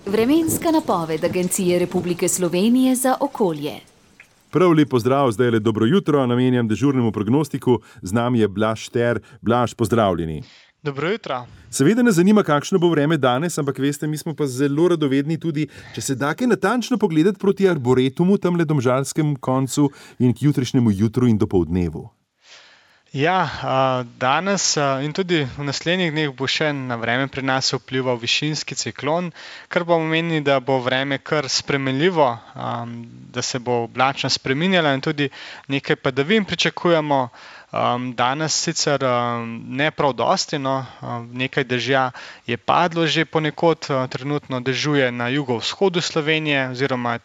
Vremenska napoved Agencije Republike Slovenije za okolje. Prav lep pozdrav, zdaj le dobro jutro, namenjam dežurnemu prognostiku, z nami je Blaž Šter. Blaž, pozdravljeni. Dobro jutro. Seveda nas zanima, kakšno bo vreme danes, ampak veste, mi smo pa zelo radovedni tudi, če se da kaj natančno pogledati proti Arboretumu, tamle domžalskem koncu in k jutrišnjemu jutru in dopoldnevu. Ja, danes in tudi v naslednjih dneh bo še na vreme pri nas vplival višinski ciklon, kar pomeni, da bo vreme kar spremenljivo, da se bo oblačnost spreminjala in tudi nekaj padavin pričakujemo. Danes sicer ne prav dosti, nekaj dežja je padlo že ponekod, trenutno dežuje na jugovzhodu Slovenije oziroma je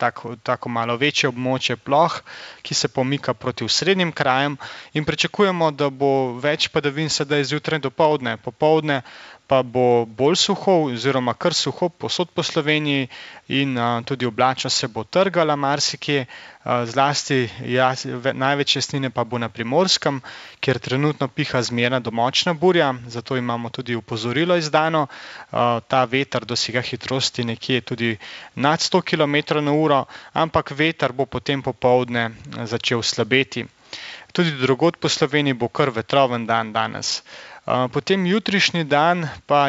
tako malo večje območje ploh, ki se pomika proti osrednjim krajem in pričakujemo, da bo več padavin sedaj zjutraj dopoldne. Popoldne pa bo bolj suho oziroma kar suho povsod po Sloveniji in tudi oblačnost se bo trgala marsikje, zlasti največ jasnine pa bo na Primorskem, kjer trenutno piha zmerna do močna burja, zato imamo tudi opozorilo izdano. Ta veter dosega hitrosti nekje tudi nad 100 km/h, ampak veter bo potem popoldne začel slabeti. Tudi drugod po Sloveniji bo kar vetroven dan danes. Potem jutrišnji dan pa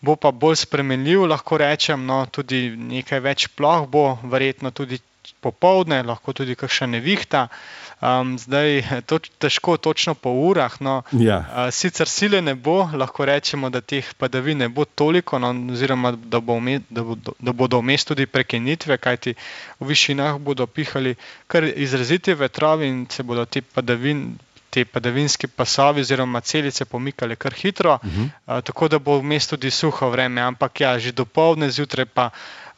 bo pa bolj spremenljiv, lahko rečem, tudi nekaj več ploh bo, verjetno tudi popoldne, lahko tudi kakšna nevihta. Zdaj to težko točno po urah, sicer sile ne bo, lahko rečemo, da teh padavin ne bo toliko, oziroma da bodo vmes tudi prekinitve, kajti v višinah bodo pihali kar izraziti vetrovi in se bodo te padavinski pasovi oziroma celice pomikale kar hitro, tako da bo vmes tudi suho vreme, ampak že dopoldne zjutraj pa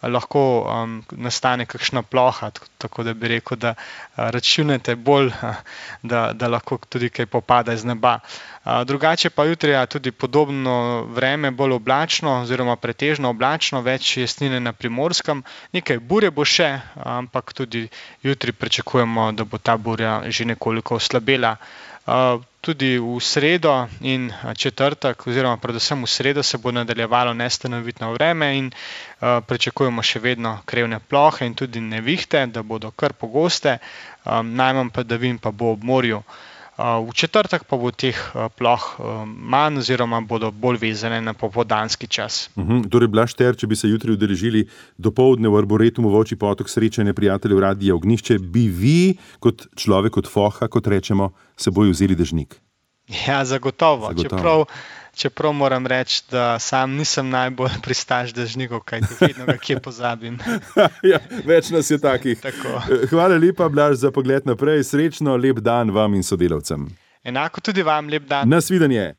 lahko nastane kakšna ploha, tako da bi rekel, da računate bolj, da lahko tudi kaj popada iz neba. Drugače pa jutri tudi podobno vreme, bolj oblačno oziroma pretežno oblačno, več jasnine na Primorskem, nekaj burje bo še, ampak tudi jutri pričakujemo, da bo ta burja že nekoliko oslabela. Tudi v sredo in četrtek oziroma predvsem v sredo se bo nadaljevalo nestanovitno vreme in pričakujemo še vedno krevne plohe in tudi nevihte, da bodo kar pogoste, najmanj padavin pa bo ob morju. V četrtek pa bo teh ploh manj oziroma bodo bolj vezane na popoldanski čas. Torej, Blaž Šter, če bi se jutri udeležili dopoldne v Arboretumu Volčji Potok srečanje prijateljev Radia Ognjišče, bi vi kot človek od foha, kot rečemo, seboj vzeli dežnik? Ja, zagotovo. Čeprav moram reči, da sam nisem najbolj pristaš dežnikov, kajti vedno ga kje pozabim. Več nas je takih. Tako. Hvala lepa, Blaž, za pogled naprej. Srečno, lep dan vam in sodelavcem. Enako tudi vam, lep dan. Nasvidenje.